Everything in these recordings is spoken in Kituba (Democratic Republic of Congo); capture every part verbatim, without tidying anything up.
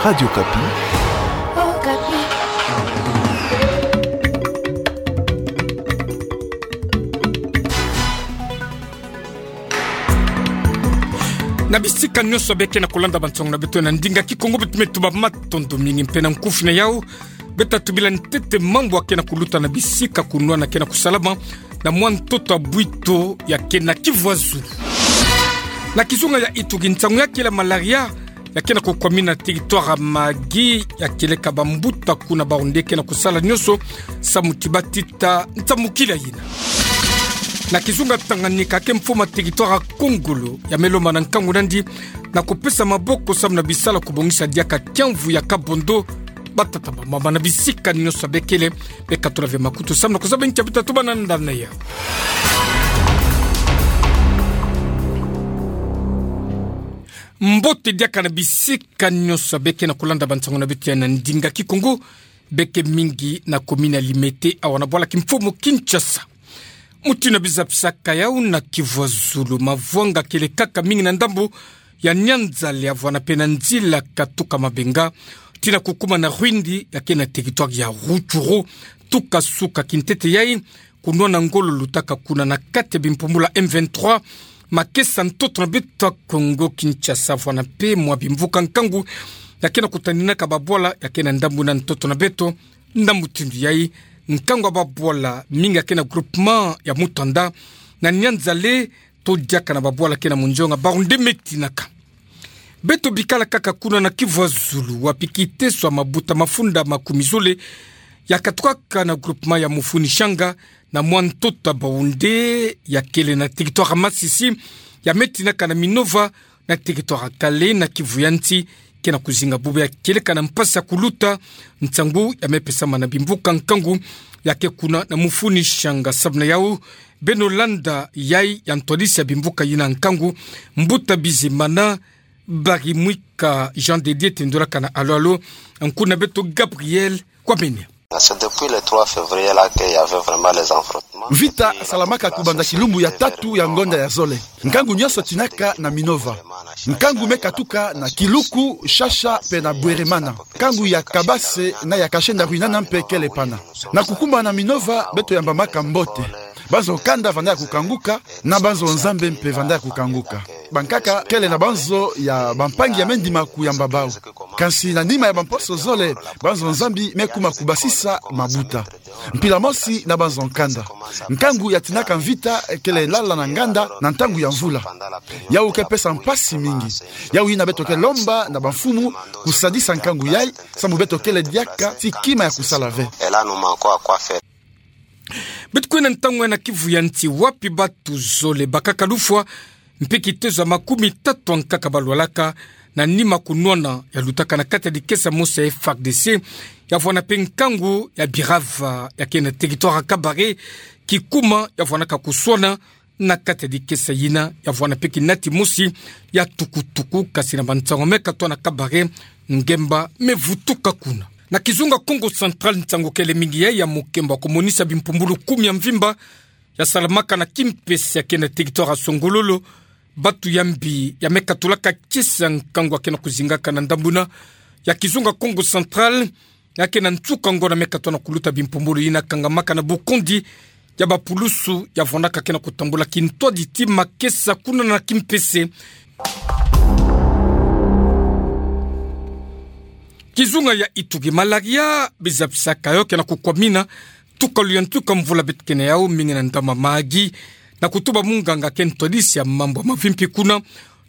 Radio Okapi. Na bisika nyonso beke na kulanda bansango na beto na ndinga Kikongo, beto me tuba matondo mingi mpe na nkufi na yau. Beta tubila ntete mambu ake na kuluta na bisika kunwana ke na kusalama na mwa ntoto ya bwito ya ke na Kivu ya Zulu. Na kizunga ya itu, nsangu ya kele malaria ya ke na kukwamina na territoire ya Mahagi, ya keleka bambuta kuna Baoundé ke na kusala nyonso samu ti batita nsamukila yina. Na kizunga Tanganyika, ke mfumu ya territoire ya Kongolo ya me lomba na nkangu na yandi na kupesa maboko samu na bisala kubongisa diaka kiamvu ya Kabondo. Batata, bamama, na bisika nyonso bekele, beka tula ve makutu samu na kuzaba nkia beta tuba na ndani ya. Mbote diaka na bisika nyonso beke na kulanda bansango na beto ya na ndinga Kikongo, beke mingi na commune ya Limete, awa na bwala kimfumu Kinshasa. Mutindu na biza bisaka yau, na Kivu ya Zulu, mavwanga kele kaka mingi na ndambu ya Nyanza-le, avwana mpe na nzila katuka Mabenga tii na kukuma na Rwindi, ya ke na territoire ya Rutshuru, tuka suka kintete yai, kunwana ngolo lutaka kuna na kati ya bimpumbulu ya M vingt-trois, makesa ntoto na beto ya Kongo Kinshasa, avwana mpe mwa bimvuka nkangu ya ke na kutaninaka babwala ya ke na ndambu na ntoto na beto. Na mutindu yai, nkangu ya babwala mingi ya ke na groupement ya Mutanda, na Nyanza-le, to diaka na babwala ke na monjonga Baoundé me tinaka. Beto bikala kaka kuna na Kivu ya Zulu, wapi kiteso ya mabuta mafunda makumi zole ya katukaka na groupement ya Mufuni Shanga na mwa ntoto ya Baoundé ya kele na territoire ya Masisi, ya me tinaka na Minova, na territoire ya Kale, na Kivu ya Nsi, ke na kuzinga bubu ya keleka na mpasi ya kuluta. Nsangu ya me pesama na bimvuka nkangu ya ke kuna na Mufuni Shanga. Samu na yau, beno landa yai ya ntwadisi ya bimvuka yina nkangu, Mbuta Bizimana Barimwika Jean de Dieu, tendolaka na Alo Alo, nkuna beto Gabriel Kwamenia. C'est depuis le trois février là qu'il y avait vraiment les affrontements. Mvita salamaka kubanza kilumbu ya tatu ya ngonda ya zole. Nkangu nyonso tinaka na Minova. Nkangu me katuka na Kiluku, Shasha mpe na Bweremana. Nkangu ya Kabase na ya Kashenda Rwinana mpe kele pana. Na kukuma na Minova, beto yambamaka mbote. Banzo kanda vandaka kukanguka, na banzo Nzambi mpe vandaka kukanguka. Bankaka kele na banzo ya bampangi ya me ndima kuyamba bau. Kansi na nima ya bamposo zole, banzo Nzambi me kuma kubasisa mabuta. Mpila mosi na banzo kanda. Nkangu ya tinaka mvita kele lala na nganda na ntangu ya mvula. Yau ke pesa mpasi mingi. Yau yina beto ke lomba na bamfumu kusadisa nkangu yai, samu beto kele diaka ti kima ya kusala ve. Beto kwenda ntangu yai na Kivu ya Nsi, wapi batu zole bakaka lufwa mpe kitezo ya makumi tatu ankaka balwalaka na nima kunwana ya lutaka na kati ya dikesa mosi ya F A R D C, ya vwanda mpe nkangu ya Birava ya ke na territoire ya Kabare, kikuma ya vwandaka kuswana na kati ya dikesa yina, ya vwanda mpe kinati mosi ya tukutuku, kasi na bansangu me katwa na Kabare, ngemba me vutuka kuna. Na kizunga Kongo Central, nsangu kele mingi yai ya mukembo kumonisa bimpumbulu kumi ya mvimba ya salamaka na kimpese ya ke na territoire ya Songololo. Batu ya mbi ya me katulaka kiese ya nkangu ya ke na kuzingaka na ndambu na ya kizunga Kongo Central, ya ke na nsuka ngonda me katwa na kuluta bimpumbulu yina kangamaka na bukondi ya bapulusu ya vwandaka ke na kutambula kintwadi ti makesa kuna na kimpese. Kizunga ya Ituri, malaria biza bisaka yo ke na kukwamina tuka luyantuka mvula beto ke na yau mingi na ndambu ya Mahagi, na kutuba munganga ke ntwadisi ya mambu ya mavimpi kuna.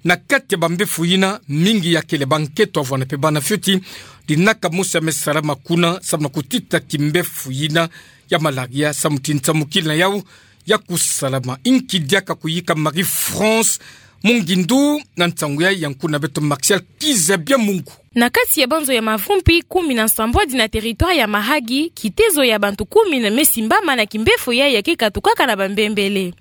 Na kati ya bambefu yina, mingi ya kele bankento ya vwanda mpe bana fioti, dinaka mosi ya me salama kuna samu na kutita kimbefu yina ya malaria, samu ti nsamukila na yau ya kusalama. Inki diaka kuyika Marie-France Mungindu na nsangu yai? Yankuna beto Martial Kizabia Mungu. Na kati ya banzo ya mavimpi kumi na nsambwadi na territoire ya Mahagi, kitezo ya bantu kumi na me simbama na kimbefu yai ya ke katukaka na bambembele.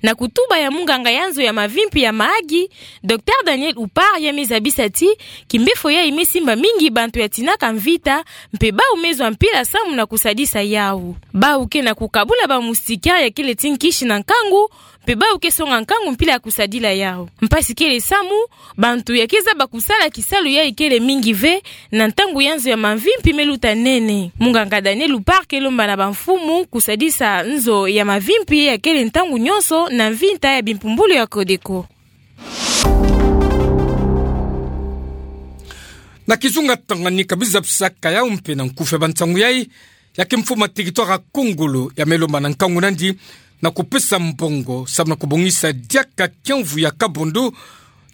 Na kutuba ya munganga ya nzo ya mavimpi ya Mahagi, Docteur Daniel Upar, ya me zabisa ti kimbefu yai me simba mingi bantu ya tinaka mvita, mpe bau me zwa mpila samu na kusadisa yau. Bau ke na kukabula ba moustiquaire ya kele ti nkisi na nkangu, mpe bau ke songa nkangu mpila ya kusadila yau. Mpasi kele samu bantu ya ke zaba kusala kisalu yai kele mingi. Ngive, na ntangu ya nzo ya mavimpi me luta nene. Munganga Daniel Luparc lomba na bamfumu kusadisa nzo ya mavimpi ya kele ntangu nyonso na mvinta ya bimpumbulu ya Codeco. Na kizunga Tanganyika biza bisaka yau mpe na nkufi ya bansangu yai, ya kimfuma teritware Kongolo ya me lomba na nkangu nandi na kupesa mbongo samu na kubongisa diaka kiamvu ya Kabondo,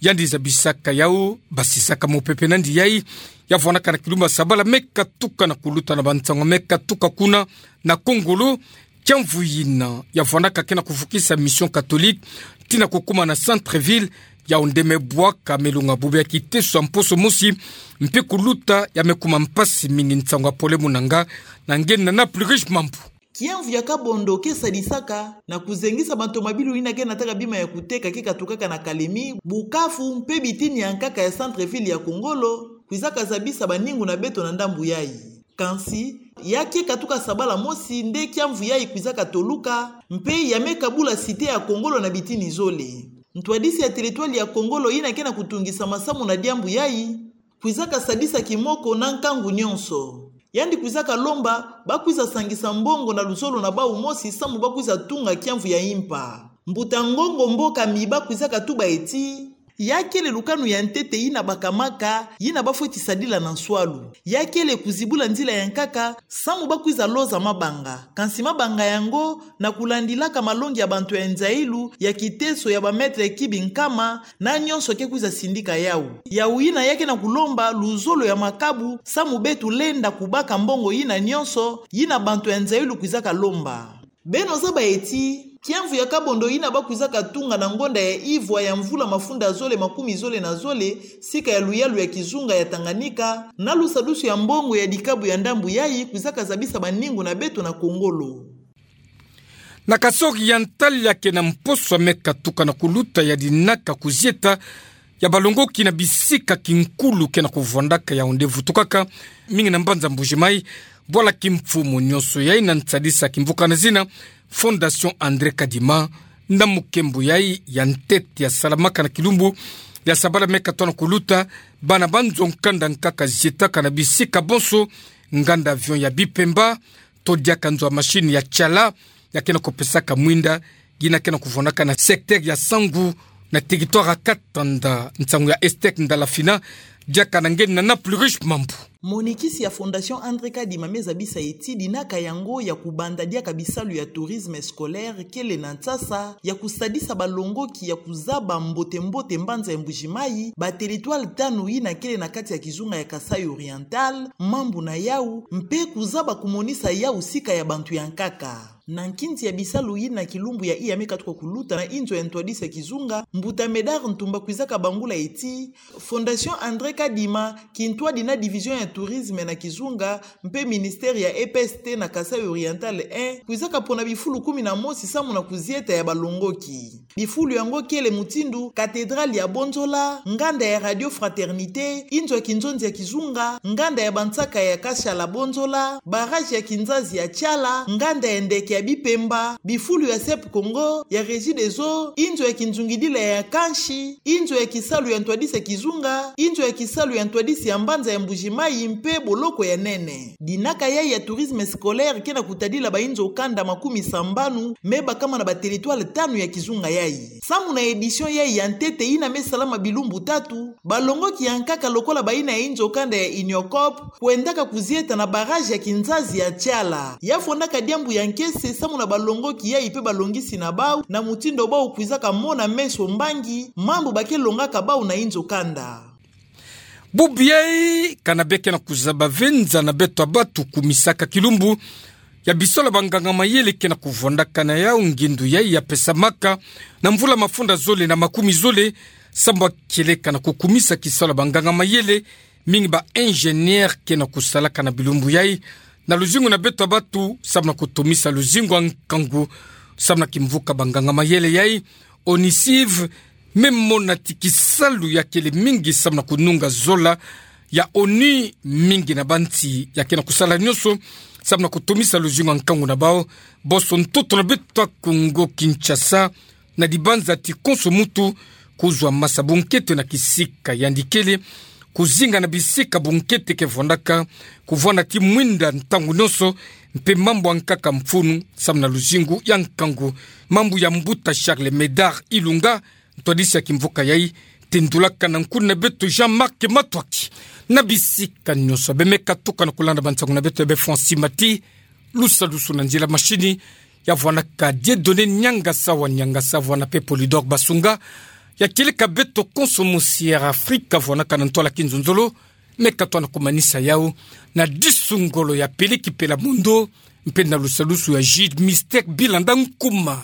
yandi zabisaka yau, basisaka mopepe nandi yai, ya vwanaka na kilumbu ya sabala me katuka na kuluta na bansangu me katuka kuna na Kongolo. Kiamvu yina ya vwanaka ke na kuvukisa Mission Catholique tii na kukuma na centre-ville, yau nde me bwaka me lunga bubu ya kiteso ya mposo mosi, mpe kuluta ya me kuma mpasi mingi. Nsangu ya Pole Munanga na nge na na plus riche mambu. Kiamvu ya Kabondo ke sadisaka na kuzengisa bantu mabilu yina ke nataka bima ya kuteka ke katukaka na Kalemi, Bukavu, mpe bitini ya nkaka ya centre-ville ya Kongolo, kwizaka zabisa baningu na beto na ndambu yai. Kansi, ya ke katuka sabala mosi nde kiamvu yai kwizaka toluka, mpe ya me kabula cité ya Kongolo na bitini zole. Ntwadisi ya teritware ya Kongolo yina ke na kutungisa masamu na diambu yai, kwizaka sadisa kimoko na nkangu nyonso. Yandi kwizaka lomba bakwiza sangisa mbongo na luzolo na bau mosi samu bakwiza tunga kiamvu ya impa. Mbuta Ngongo Mboka Miba kwizaka tuba eti, ya kele lukanu ya ntete yina bakamaka, yina bafweti sadila na nswalu. Ya kele kuzibula nzila ya nkaka samu bakwiza loza mabanga. Kansi mabanga yango, na kulandilaka malongi ya bantu ya nzailu, ya kiteso ya ba mètres cubes nkama, na nyonso ke kwiza sindika yau. Yau yina ya ke na kulomba luzolo ya makabu samu beto lenda kubaka mbongo yina nyonso yina bantu ya nzailu kwizaka lomba. Beno zaba eti, kiamvu ya Kabondo yina bakwizaka tunga na ngonda ya ivwa ya mvula mafunda zole makumi zole na zole, sika ya luyalu ya kizunga ya Tanganyika, na lusadusu ya mbongo ya dikabu ya ndambu yai kwizaka zabisa baningu na beto na Kongolo. Na Kasaï Oriental, ya ke na mposo ya me katuka na kuluta ya dinaka kuzieta ya balongoki na bisika kinkulu ke na kuvwandaka, yau nde vutukaka mingi na mbanza Mbuji-Mayi, bwala kimfumu nyonso yai na nsadisa kimvuka na zina Fondation André Kadima. Na mukembo yai ya ntete ya salamaka na kilumbu ya sabala me katoa na kuluta, bana ba nzo nkanda nkaka zietaka na bisika bonso, nganda avion ya Bipemba, to diaka nzo ya machine ya Tshala, ya ke na kupesaka mwinda, yina ke na kuvwandaka na secteur ya Sangu, na territoire ya Katanda. Nsangu ya Estec Ndalafina, diaka na nge na na plus riche mambu. Monikisi ya Fondation André Kadima me zabisa eti dinaka yango ya kubanda diaka bisalu ya tourisme scolaire kele na nsasa ya kusadisa balongoki ya kuzaba mbote-mbote mbanza ya Mbuji-Mayi, ba territoire tanu yina kele na kati ya kizunga ya Kasaï Oriental, mambu na yau, mpe kuzaba kumonisa yau sika ya bantu ya nkaka. Na nkinzi ya bisalu yina, kilumbu ya iya me katuka kuluta na inzo ya ntwadisi ya kizunga, mbuta Médard Ntumba kwizaka bangula eti, Fondation André Kadima, kintwadi na division ya tourisme na kizunga, mpe ministère ya E P S T na Kasaï Oriental un, kwizaka pona bifulu kumi na mosi samu na kuzieta ya balongoki. Bifulu yango kele mutindu cathédrale ya Bonzola, nganda ya Radio Fraternité, inzo ya kinzonzi ya kizunga, nganda ya bansaka ya Kashala Bonzola, barrage ya kinzazi ya Tshala, nganda ya ndeke ya Bipemba, bifulu ya CEP Congo, ya Regideso, inzo ya kinzungidila ya kansi, inzo ya kisalu ya ntwadisi ya kizunga, inzo ya kisalu ya ntwadisi ya mbanza ya Mbuji-Mayi mpe boloko ya nene. Dinaka yai ya tourisme scolaire ke na kutadila bainzo kanda makumi sambanu me bakama na ba territoire tanu ya kizunga yai. Samu na édition yai ya ntete yina me salama bilumbu tatu, balongoki ya nkaka lokola bayina ya inzo kanda ya Uniocop, kwendaka kuzieta na barrage ya kinzazi ya Tshala. Ya fondaka diambu ya nkese samu na balongoki yai mpe balongisi na bau, na mutindu bau kwizaka mona meso mbangi mambu ba ke longaka bau na inzo kanda. Bubu yai, kana bê ke na kuzaba venza na beto ya batu kumisaka kilumbu ya bisalu ya banganga-mayele ke na kuvwandaka na yau, ngindu yai ya pesamaka na mvula mafunda zole na makumi zole, samu ba kieleka na kukumisa kisalu ya banganga-mayele, mingi ba ingénieur ke na kusalaka na bilumbu yai na luzingu na beto ya batu, samu na kutomisa luzingu ya nkangu, samu na kimvuka banganga-mayele yai, ONICIV, me mona ti kisalu ya kele mingi samu na kununga zola ya ONU, mingi na bansi ya ke na kusala nyonso samu na kutomisa luzingu ya nkangu na bau, bonso ntoto na beto ya Kongo Kinshasa, na dibanza ti konso muntu kuzwa masa bunkete na kisika yandi kele, kuzinga na bisika bunkete ke vwanaka, kuvwana ti mwinda ntangu nionso, mpe mambu ankaka mfunu, samu na luzingu ya nkangu. Mambu ya mbuta Charles Médard Ilunga, ntwadisi ya kimvuka yai, tendulaka na nkuna na beto Jean-Marc Matuaki. Na bisika nionso, bemeka tukana kulanda bansangu na beto ya be Francis Mati, lusalusu na nzila mashini, ya vwanaka Dieudonné Niangasa wa Niangasa, vwana mpe Polydor Basunga, ya kieleka beto konso mosi ya Afrika, vwanaka na ntwala kinzonzolo, meka twana kumanisa yau, na disu ngolo ya Peleki Pela Mondo, mpe na lusalusu ya Jude Mystère Bilanda Nkumar.